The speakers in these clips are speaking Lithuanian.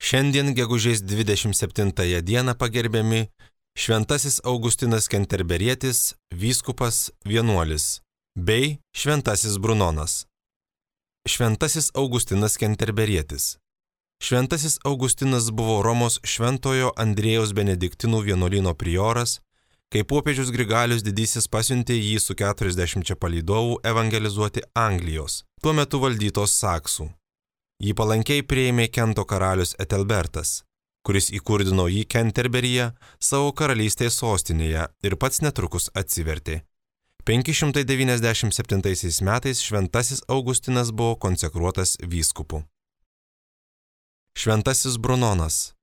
Šiandien gegužės 27 dieną pagerbiami Šventasis Augustinas Kenterberietis, vyskupas vienuolis, bei Šventasis Brunonas. Šventasis Augustinas Kenterberietis. Šventasis Augustinas buvo Romos Šventojo Andriejaus Benediktinų vienuolyno prioras, kai popiežius Grigalius Didysis pasiuntė jį su 40 palydovų evangelizuoti Anglijos, tuo metu valdytos saksų. Jį palankiai priėmė Kento karalius Etelbertas, kuris įkurdino jį Kenterberyje, savo karalystės sostinėje, ir pats netrukus atsivertė. 597 metais Šventasis Augustinas buvo konsekruotas vyskupu. Šventasis Brunonas.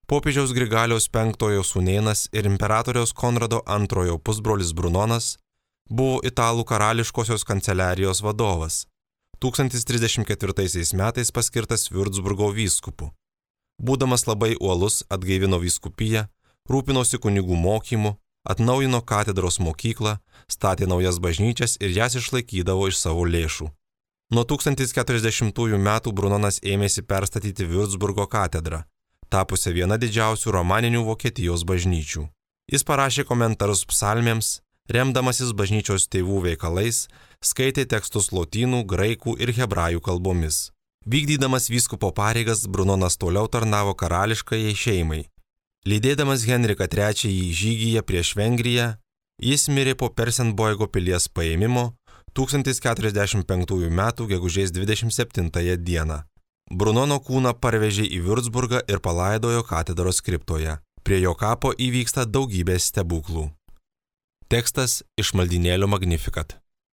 Popiežiaus Grigaliaus V sūnėnas ir imperatoriaus Konrado II pusbrolis Brunonas buvo italų karališkosios kanceliarijos vadovas, 1034 metais paskirtas Viurcburgo vyskupu. Būdamas labai uolus, atgaivino vyskupiją, rūpinosi kunigų mokymu, atnaujino katedros mokyklą, statė naujas bažnyčias ir jas išlaikydavo iš savo lėšų. Nuo 1040 metų Brunonas ėmėsi perstatyti Viurcburgo katedrą, tapusią viena didžiausių romaninių Vokietijos bažnyčių. Jis parašė komentarus psalmėms, remdamasis bažnyčios tėvų veikalais, skaitė tekstus lotynų, graikų ir hebrajų kalbomis. Vykdydamas vyskupo pareigas, Brunonas toliau tarnavo karališkajai šeimai. Lydėdamas Henriką III žygyje prieš Vengriją, jis mirė po Persenboigo pilies paėmimo 1045 m. gegužės 27 dieną. Brunono kūną parvežė į Viurcburgą ir palaidojo katedros kriptoje. Prie jo kapo įvyksta daugybė stebuklų. Tekstas iš maldynėlio Magnificat.